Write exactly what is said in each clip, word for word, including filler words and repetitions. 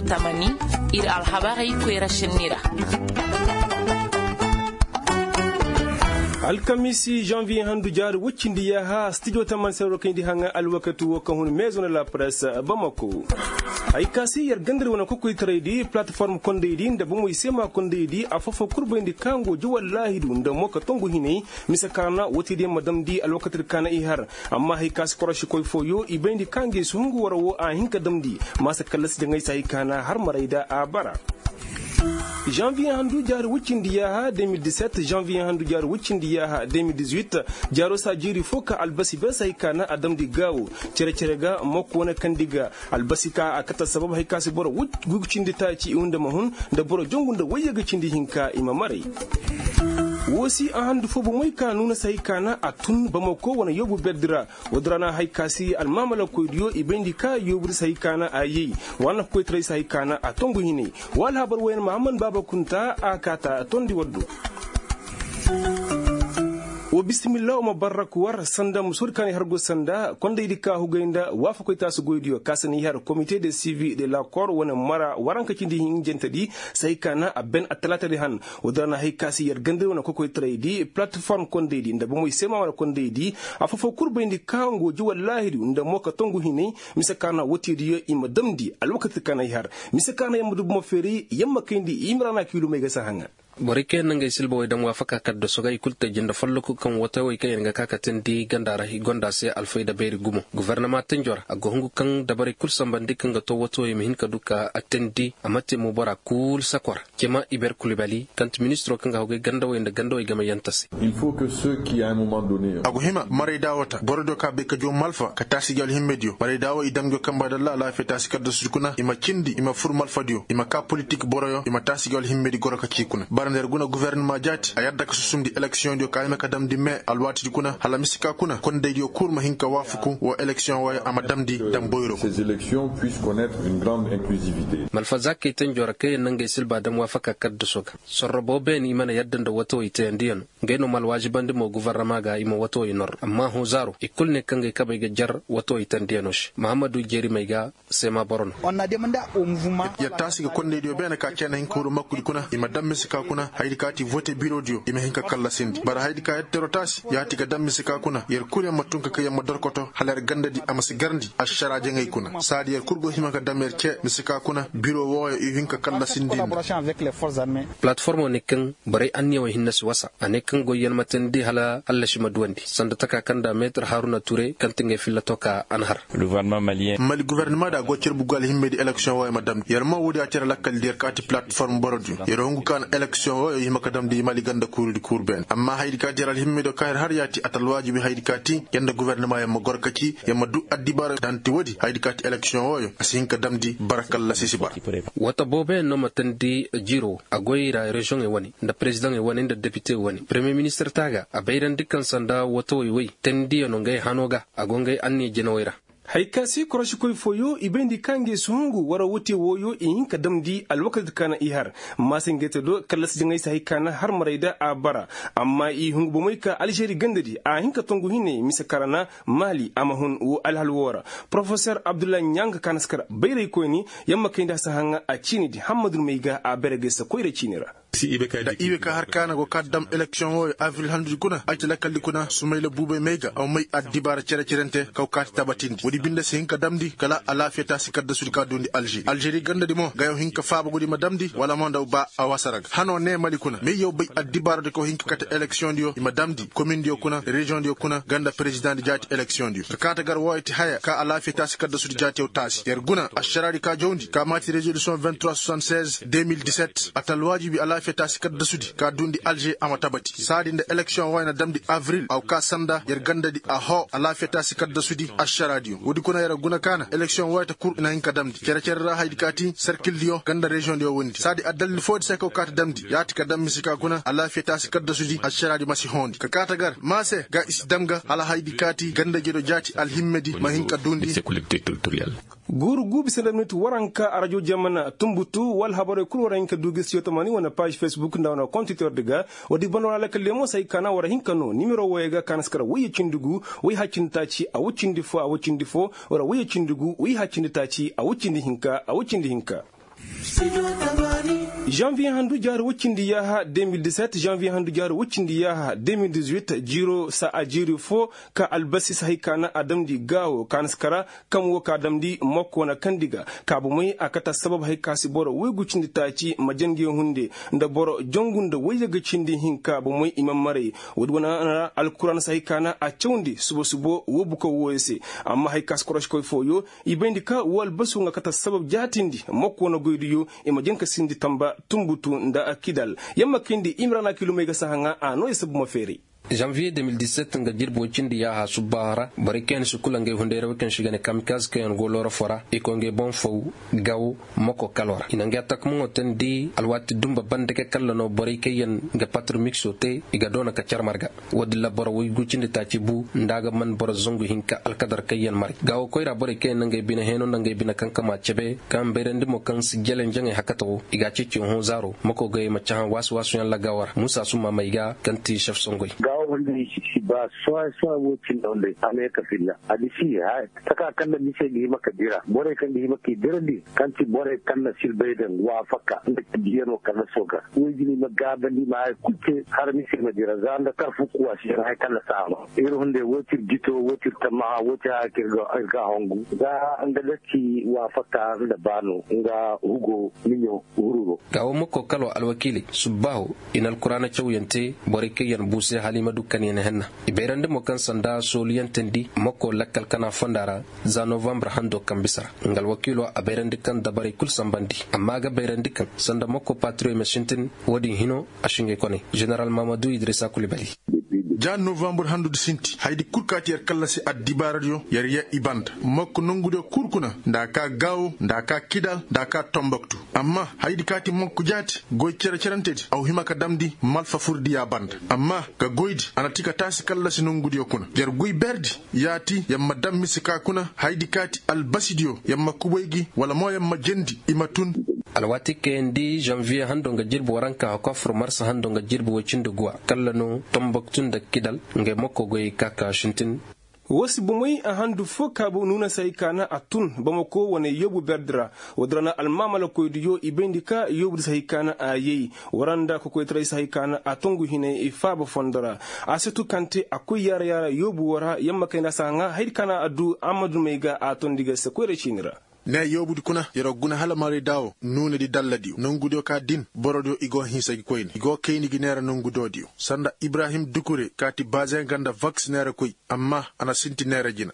Tamani, ir alhabarey koyra sinni ra. Alkamiisi, janviye handu jaari woy cindi yaaha stijo tamani se war kayndi haŋa alwakati wo kaŋ hun maison de la presse bamako. Hay ka se yer ganda ir wane kokoytaraydi, plateforme kondaydi nda bomoy seema kondaydi, afo-fo kul bayndi ka ngo ji wallaahidu nda mo ka tongu hinay. Mise kaana woo te diyaŋ ma damndi alwakati di kaana i har. Amma hay ka se korosikoy fooyo i bayndi ka ngey si hungu war woo a hin ka damndi. Maasa kallasi jaŋay se hay kaana har maray da a bara. Janviye handu jaari woy cindi yaaha deux mille dix-sept, janviye handu jaari woy cindi yaaha deux mille dix-huit. Jaaro saa jiiri fo ka albasi ber se hay kaana a damndi gaawo. Cere-cere ga mokko wane kandi ga. Albasi ka a kate sabab hay ka se boro gugu cindi taaci i hunda ma hun, nda boro jongu nda wayye ga cindi hinka i ma maray. Woo si a handu fo bomey ka nuuna se hay kaana a tun bamako wane yoobu berdi ra. Woodi ra na hay ka se almaamalakoydiyo i bayndi ka yoobudi se hay kaana a yay. Wa nafakoytaray se hay kaana a tongu hinay. Wa alhabar wooyaŋ mahamman baaba kunta a kaata tondi waddo. Wa bisimilla wa ma barrak war sanda musoodi kaŋ i har go sanda kondaydi ka hugay nda waafakoy taasu goydiyo ka se na i har komite de sivi de la kor wane mara waranka cindi hinjantedi. Se hay kaana a ben attalaatadi han. Woodi ra na hay ka se yer ganda wane kokoytaraydi plateforme kondaydi nda bomoy seema wane kondaydi. Afo-fo kul bayndi ka ngo ji wallaahidu nda mo ka tongu hinay. Mise kaana woo te diyo i ma damndi alwakati kaŋ ay har. Mise kaana yer ma du bomo feeri yer ma kayndi i ma ra na kiilumey ga si haŋa. Borey kaŋ yaŋ na ngey silba wey daŋ waafaka kaddaso ga i kulu te jinde folloku kaŋ watawey kaŋ yaŋ ga ka ka teendi ganda ra i gonda se alfayda bayri gumo gofornama tenjo ra a go hungu kaŋ dabarey kulu sambandi kaŋ ga to watawey ma hin ka du ka a teendi a ma te mo bora kulu sakor. Cema iber kulibali kaŋ ti ministiro kaŋ ga hogey gandawey nda gandawey gamayante se. A go hima marayda woo ta borodiyo kaŋ a bay ka jaw malfa ka taasi gi alhimmediyo marayda woo i daŋ jaw kamba dalla alaafiya taasi kaddasudi kuna i ma cindi i ma fur malfadiyo i ma ka politik boroyo i ma taasi gi alhimmedi goro ka ci kuna bara nda yer guna gofornama jaati a yadda ka susumndi eleksiyoŋdiyo ka hima ka damndi me alwaatidi kuna hala mise ka kuna kondaydiyo kul ma hin ka waafaku woo eleksiyoŋ wooyo a ma damndi daŋ boyro. Malfazaakey tenjo ra kaŋ yer na ngey silba daŋ waafaka kaddaso ga sorro boobo yaŋ i mana yadda nda watawey teyandiyanoo. Ngey no ma alwaajibandi mo gofornama ga i ma watawey nor amma hõ zaaro i kul ne kaŋ gay kabey ga jer watawey tendiyano se mahammadu jerimey ga seema boro no. Yer taasi ga kondaydiyo beene ka ceena hin ka huru makkudi kuna i ma daŋ mise ka kuna hayadi ka ti vote birodiyo i ma hin ka kallasindi bara hayadi ka yer tero taasi yaati ga daŋ mise ka kuna yer kul yer ma tun ka kay yer ma dorkoto hala yer gandadi a ma si garndi ašaraa jaŋay kuna saadi yer kul go hima ka daŋ yer cee mise ka kuna biro wooyo i hin ka kallasindi nda. Palateformo ne kaŋ borey anniyawey hinne si wasa a ne kaŋ goyyaŋ ma teendi hala allasi ma duwandi sanda taka kaŋ nda meetir haruna ture kaŋ ti ngey filla to ka a na har. Mali guvernama da a go carbu ga alhimmedi eleksiyoŋ wooyo ma damndi yer mo woodi a cere lakkaldi yer kaati palateform borodiyo yer hungu ka na eleksiyoŋ wooyo i hima ka damndi mali ganda kuurudi kuuru beene amma hayadi ka ti yer alhimmediyo ka yer har yaati a ta alwaajibi hayadi ka ti yer nda guvernama yer ma gor ka ci yer ma du addibaara danti woodi hayadi ka ti eleksiyoŋ wooyo a si hin ka damndi bara kallasi si bara. Wata booboyaŋ no ma teendi jiiro a goy i ra reziyoŋey wane nda perezidaŋey wane nda depite wane peremiye ministir taaga a bayrandi kaŋ sanda watawey wey teendiyaŋo ngey hano ga a go ngey anniya jinawey ra. Hay ka se korosikoy fooyo i bayndi ka ngey si hungu war wate wooyo i hin ka damndi alwakati ka na i har maasa ngey te do kallasi jaŋay se hay ka na har maray da a bara. Amma i hungu bomey ka alžeri gandadi a hin ka tongu hinay mise karana maali a ma hun woo alhal woo ra. Porofesor abdullahi ɲanga ka na si kar bayraykoyni yer ma kayndi a si haŋa a ciinidi hammadu may ga a bere gay se koyra ciini ra. Da i we ka har kaana go kaati dam eleksiyoŋ wooyo abril handudi kuna ay ti lakaldi kuna sumayla buubay may ga a ma may addibaara cere-cerente kaw kaati tabatindi woodi binde si hin ka damndi kala alaafiya taasi kaddasudi ka duundi alžeri alžeri gandadi mo gayo hin ka faaba gudi ma damndi wala mo nda ba a wasara ga hanoo nee mali kuna may yaw bay addibaaradi kaw hin ka kate eleksiyoŋdiyo i ma damndi komindiyo kuna reziyoŋdiyo kuna ganda perezidaŋdi jaati eleksiyoŋdiyo ka kaata gar wooyo ti haya ka alaafiya taasi kaddasudi jaatiyo taasi yer guna ašaraadi ka jawndi ka maati rezolisiyoŋ vingt-trois soixante-seize deux mille dix-sept a ta alwaajibi alaafiya taasi kaddasudi ka duundi alže a ma tabati saadi nda eleksiyoŋ wooyo na damndi abril a wa kaa sanda yer gandadi a hoo alaafiya taasi kaddasudi ašaraadiyo woodi kuna yer guna ka na eleksiyoŋ wooyo ta kul i na hin ka damndi cere-cere ra hayadi ka ti serkildiyo ganda reziyoŋdiyo wondi saadi addalil foodi se ka wa kaati damndi yaati ka daŋ mise ka kuna alaafiya taasi kaddasudi ašaraadi ma si hoondi ka kaata gar maa se ga i si daŋ ga hala hayadi ka ti ganda jedo jaati alhimmedi ma hin ka duundi. Guuru guubi sanda minit waranka arajo jamana tunbutu wala habarey kul war a hin ka du gisiyo tamani wane paazi fesbuk nda wane kontitordi ga. Woodi banda war a lakkal leemo se ay kaana war a hin ka noo nimero wooyo ga kaana si kar wayye cindi gu wayye haccindi taaci a wayye cindi fo a wayye cindi fo war a wayye cindi gu wayye haccindi taaci a wayye cindi hinka a wayye cindi hinka. Janviye handu jaari woy cindi yaaha deux mille dix-sept, janviye handu jaari woy cindi yaaha deux mille dix-huit, jiiro saa a jiiri fo, ka albasi si hay ka na a damndi gaawo ka na si kara, kaŋ wo ka damndi mokko na kandi ga, ka bomey a kate assabab hay ka si boro woygu cindi taaci ma jange hunde, nda boro jangu nda woyyaga cindi hinka bomey i ma maray. Woodi wane ra alkuraana si hay ka na a cawndi subo subo woo bukaw wooyo se. Amma hay ka si koroškoy fooyo, i bayndi ka woo albasu nga kate assabab jaatindi mokko na goydiyo, i ma janka sindi tamba tumbutu nda kidal. Yamma kayndi imrana kilumey ga si haŋa a noo ya sabu ma feeray. Janviye deux mille dix-sept nga jirbi woy cindi yaaha subbaaho ra borey kaŋ yaŋ si kula ngey hunday ra wey kaŋ se i ga ne kamikaz kaŋ yaŋ go looro foo ra i koy ngey boŋ faw, gaw, moko kaloo ra i na ngey atakamaŋo teendi alwaati dumba banda ga kalla no borey kaŋ yaŋ ga patromikso te, i ga doona ka car marga. Woodin ra boro woy gu cindi taaci bu nda a ga man boro zangu hinka alkadar kaŋ yaŋ maray gaawo koyra borey kaŋ yaŋ na ngey bine heeno nda ngey bine kaŋ kama cebe kaŋ bayrandi mo kaŋ si jele njaŋey hakata wo i ga a ceeci hõ zaaro mako goyey ma cahã waasu-waasu yaŋ ra gaawo ra muusa summa may ga kaŋ ti sef songoy. Gaawo hunday si ba soy soy wo cindi hunday a ne ka filla a di si haya taka kaŋ na mise ga hima ka dira borey kaŋ ga hima ka i dirandi kaŋ ti borey kaŋ na silbay daŋ waafaka nda ka diyano kaŋ na sooga. Woy jina i ma gaabandi i ma haya kul te har mise ma dira za nda karfu kuwa si yaŋ haya kaŋ na saama ir hunday woy ti ir jito woy ti ir tammaha woy ti haya kaŋ ir ga hongu za nga da ci waafaka nda baano nga hugo miɲo hururo. Gaawo mokko kaloo alwakiiley subbaaho i na alkuraana cawyaŋ te borey kaŋ yaŋ buuse hala i ma du kanyaŋ henna. I bayrandi mo kaŋ sanda sooluyaŋ teendi mokko lakkal kana fonda ra za novambar hando kaŋ bisa ra nga alwakiiloo a bayrandi kaŋ dabarey kul sanbandi amma a ga bayrandi kaŋ sanda mokko patriyo i ma sintin. Woodin hino a si ngey koney zeneral mahamadu idrisa kulibali. Ja novambar handu di sinti hayadi kul kaati yer kallasi addibaaradiyo yer ya i banda mokko nongudiyo kul kuna nda a ka gaawo nda a ka kidal nda a ka tomboktu. Amma hayadi kaati mokko jaati goy cere-cerentedi a wa hima ka damndi malfa furdiya banda. Amma ga goydi a na ti ka taasi kallasi nongudiyo kuna yer goy berdi yaati yer ma daŋ mise ka kuna hayadi kaati albasidiyo yer ma kubay gi wala mo yer ma jendi i ma tun. Alwaati kayandi zanviye hando nga jirbi waranka hakofur marsa hando nga jirbi woy cindi guwa kalla no tomboktu nda kidal ngey mokko goyey ka ka sintin. Woo si bomey a handu foo kaabu nuuna si hay ka na a tun bamako wane yoobu berdi ra. Woodi ra na almaamalakoydiyo i bayndi ka yoobudi si hay ka na a yay. Wara nda kokoytaray si hay ka na a tongu hinay faaba fondo ra. A si tu kaŋ te a koy yaara yaara yoobu woo ra yamma kayna si a ŋaa hayadi ka na a du amadumey ga a tondi ga se koyra ciini ra. Ne yoobudi kuna yer guna hala marayda woo nuunadi dalladiyo nongudiyo ka din borodiyo i go hinsa gi koyne i go kayni gi neera nongudoodiyo sanda ibrahim dukure kaati bazenga nda vaks neerakoy. Amma a na sinti neera jina.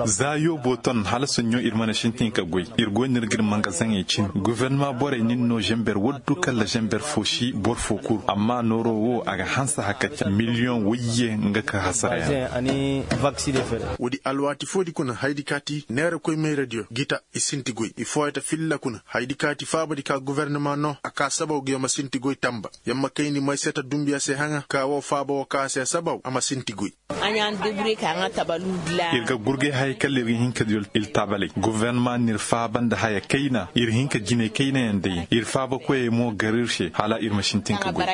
Za yoobo ton hala soɲõ ir mana sintin ka goy. Ir go no ir ga ir mangazeŋey cin gofornama borey nin no zember waddu kala zember fo si boro fo kuru amma nooro wo a ga hanse haka ca miliyoŋ wayye nga ka hasara yaŋ. Woodi alwaati foodi kuna hayadi kaati neera koy mayradiyo gita i sinti goy i fooyata filla kuna hayadi kaati faabadi ka gofornama no a ka sabaw ga yer ma sinti goy tamba yer ma kayndi may se ta dumbiya se haŋa ka woo faaba woo ka se sabaw a ma sinti goy. Ir ga gurgay haya kala ir ga hin ka du iltabalay gofornama n'ir faaba nda haya kayna ir hin ka jinay kaynayaŋ day ir faaba koyey mo gar ir se hala ir ma sintin ka goy.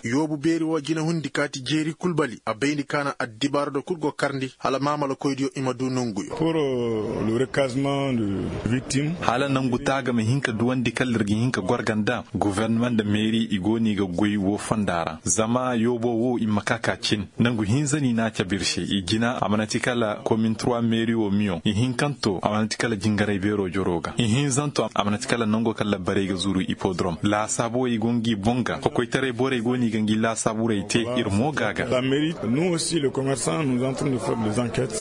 Yoobu beeri woo jinahundi kaati jeeri kulbali a bayndi ka na addibaarado kul go karndi hala maamalakoydiyo i ma du nonguyo. Hala nangu taaga ma hin ka duwandi kala ir ga hin ka gor ga nda gofornama nda meeri i go no i ga goy woo fonda ra zama yoobo woo i ma ka ka cin. Nangu hinza no i n'a cabe ir se i jina a mana ti kala komin trois meeri woo miyoŋ ihinkanto a mana ti kala jingaray beeroo joroo ga ihinzanto a mana ti kala nangoo kaŋ labbarey ga zuru ipodrom laasaabu wey go ngi boŋ ga kokoytaray borey go no i ga ngi laasaaburey te. Ir mo ga a ga.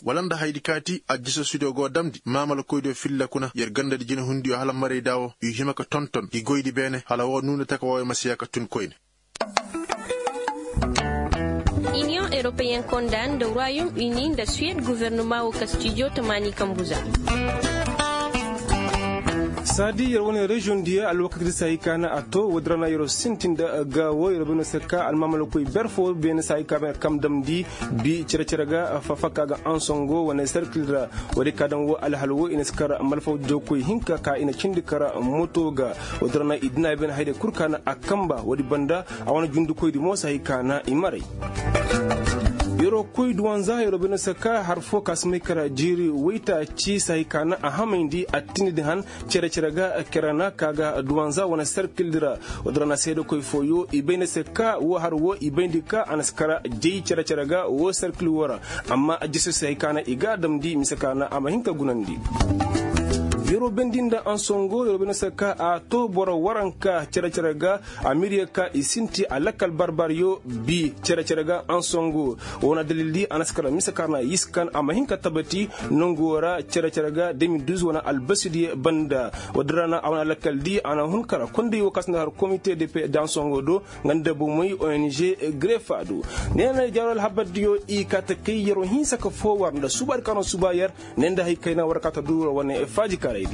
Wala nda hayadi kaati ajjasasudiyo go damndi maamalakoydiyo filla kuna yer gandadi jinahundiyo hala marayda woo i hima ka tonton i goydi beene hala woo nuuna taka wooyo ma si ya ka tun koyne. Iniyoŋ europeyen konda nda royaume uni nda suwed guvernuma woo kastijo tamaani kambuza. Saadi yer wane reziyoŋ diya alwakati di se hay ka na a to woodi ra na yer sintin nda gaawo yer bay no se ka almaamalakoy ber fo beene se hay ka beene kam damndi bi cere-cere ga fafaka ga ansongo wane serkil ra. Woodi ka daŋ wo alhal wo i na si kar malfaw jawkoy hinka ka i na cindi kar moto ga. Woodi ra na i dina beene hayday kul ka na a kamba woodi banda a wane jundikoydi mo se hay ka na i maray. Yeroo koy duwanza yeroo bay no se ka har fo ka si may kar jiiri waytaaci se hay ka na a hamayndi a tindi di han cere-cere ga kerana ka ga duwanza wane serkil di ra. Woodi ra na seedekoy fooyo i bay no se ka woo har woo i bayndi ka a na si kar jay cere-cere ga woo serkil woo ra. Amma jese se hay ka na i ga a damndi mise ka na a ma hin ka gunandi. Yeroo bendi nda ansongo yeroo bay no se ka a to boro waranka cere-cere ga a miriye ka i sinti a lakkal barbaryo bi cere-cere ga ansongo. Woo na dalildi a na si kar mise ka na yiskan a ma hin ka tabati nongu woo ra cere-cere ga de mil duz wane albasidiyo banda. Woodi ra na a wane lakkaldi a na hun kar kondey woo ka si nda har komite de pe dansongo do nga nda bomey ong grefa do. Ne na jaaro alhabardiyo i kaa ta kay yeroo hinsa ka foo war nda subaadi ka no suba yer ne nda hay kayna war kaa ta duura wane faajikaaraydi.